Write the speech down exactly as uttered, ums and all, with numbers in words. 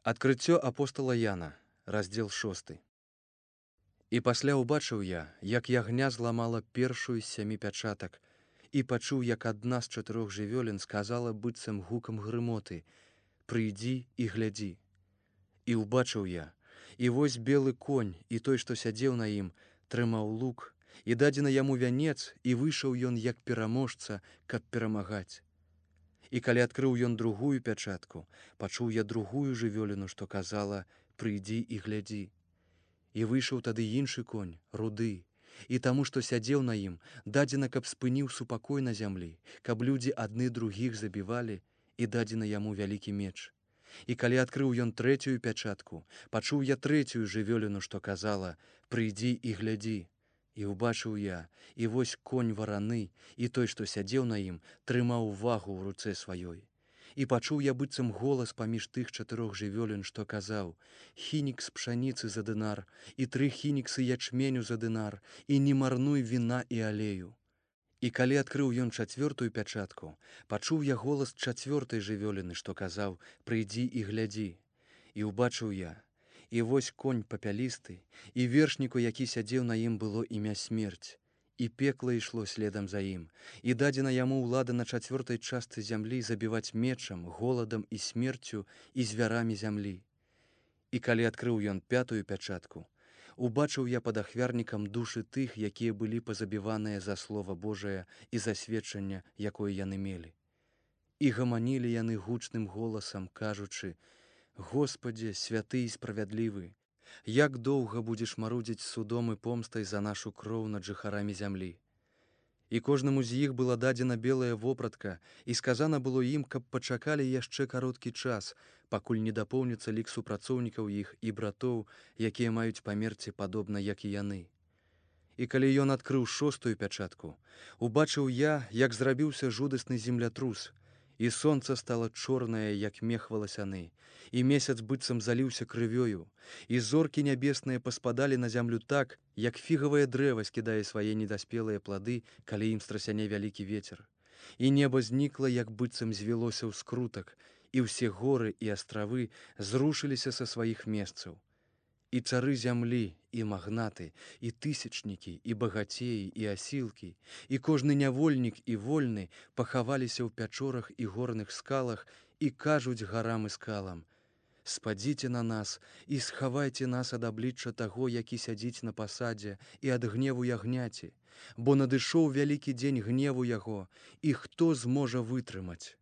Адкрыццё апостала Яна, раздзел шосты. І пасля ўбачыў я, як ягня зламала першую з сямі пячатак, і пачуў, як адна з чатырох жывёлін сказала быццам гукам грымоты: «Прыйдзі і глядзі». І ўбачыў я, і вось белы конь, і той, што сядзеў на ім, трымаў лук, і дадзены яму вянец, і выйшаў ён як пераможца, каб перамагаць. І калі адкрыў ён другую пячатку, пачуў я другую жывёліну, што казала: «Прыйдзі і глядзі». І выйшаў тады іншы конь, руды, і таму, што сядзеў на ім, дадзена, каб спыніў супакой на зямлі, каб людзі адны другіх забівалі, і дадзена яму вялікі меч. І калі адкрыў ён трэцюю пячатку, пачуў я трэцюю жывёліну, што казала: «Прыйдзі і глядзі». І ўбачыў я, і вось конь вараны, і той, што сядзеў на ім, трымаў вагу ў руцэ сваёй. І пачуў я быццам голас паміж тых чатырох жывёлін, што казаў: «Хінікс пшаніцы за дынар, і тры хініксы ячменю за дынар, і не марнуй віна і алею». І калі адкрыў ён чацвёртую пячатку, пачуў я голас чацвёртай жывёліны, што казаў: «Прыйдзі і глядзі». І ўбачыў я, і вось конь папялісты, і вершніку, які сядзеў на ім, было імя Смерць, і пекла ішло следам за ім, і дадзена яму ўлада на чацвёртай частцы зямлі забіваць мечам, голадам і смерцю і звярамі зямлі. І калі адкрыў ён пятую пячатку, убачыў я пад ахвярнікам душы тых, якія былі пазабіваныя за слова Божае і за сведчанне, якое яны мелі. І гаманілі яны гучным голасам, кажучы: «Господзе, святы і справядлівы, як доўга будзеш марудзіць судом і помстай за нашу кроў над жыхарамі зямлі». І кожнаму з іх была дадзена белая вопратка, і сказана было ім, каб пачакалі яшчэ кароткі час, пакуль не дапоўніцца лік супрацоўнікаў іх і братоў, якія маюць памерці падобна, як і яны. І калі ён адкрыў шостую пячатку, убачыў я, як зрабіўся жудасны землятрус, і сонца стала чорнае, як мех валасяны, і месяц быццам заліўся крывёю, і зоркі нябесныя паспадалі на зямлю так, як фігавае дрэва скідае свае недаспелыя плады, калі ім страсяне вялікі вецер. І неба знікла, як быццам звілося ў скрутак, і ўсе горы і астравы зрушыліся са сваіх месцаў. І цары зямлі, і магнаты, і тысячнікі, і багацеі, і асілкі, і кожны нявольнік і вольны пахаваліся ў пячорах і горных скалах і кажуць гарам і скалам: «Спадзіце на нас і схавайце нас ад аблічча таго, які сядзіць на пасадзе, і ад гневу ягняці, бо надышоў вялікі дзень гневу яго, і хто зможа вытрымаць?»